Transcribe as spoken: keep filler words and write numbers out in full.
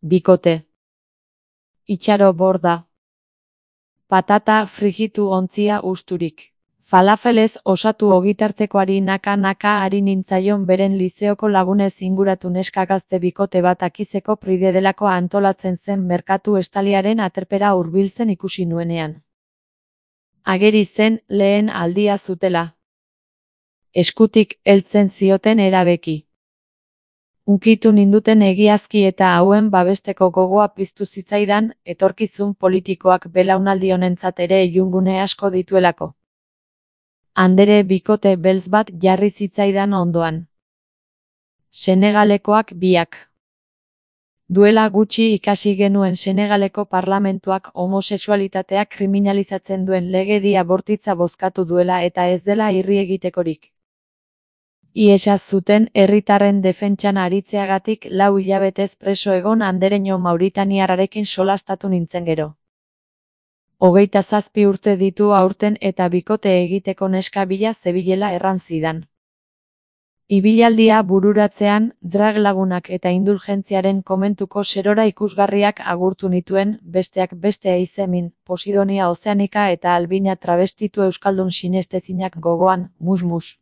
Bikote. Itxaro borda. Patata frijitu ontzia usturik. Falafelez osatu ogitartekoari naka-naka ari nintzaion beren lizeoko lagunez inguratu neska gazte bikote bat akizeko pride delako antolatzen zen merkatu estaliaren aterpera hurbiltzen ikusi nuenean. Ageri zen lehen aldia zutela. Eskutik heltzen zioten erabeki. Unkitu ninduten egiazki eta hauen babesteko gogoa piztu zitzaidan, etorkizun politikoak belaunaldi honentzat ere ilungune asko dituelako. Andere bikote beltz bat jarri zitzaidan ondoan. Senegalekoak biak. Duela gutxi ikasi genuen Senegaleko parlamentuak homosexualitatea kriminalizatzen duen legedia bortitza bozkatu duela eta ez dela irri egitekorik. Iesa zuten herritarren defentsan aritzeagatik lau hilabetez preso egon andereño mauritaniarrarekin solastatu nintzen gero. Hogeita zazpi urte ditu aurten eta bikote egiteko neska bila zebilela erran zidan. Ibilaldia bururatzean, drag lagunak eta indulgentziaren komentuko serora ikusgarriak agurtu nituen, besteak beste Eizemin, Posidonia Ozeanika eta Albina travestitu euskaldun sinestezinak gogoan, mus-mus.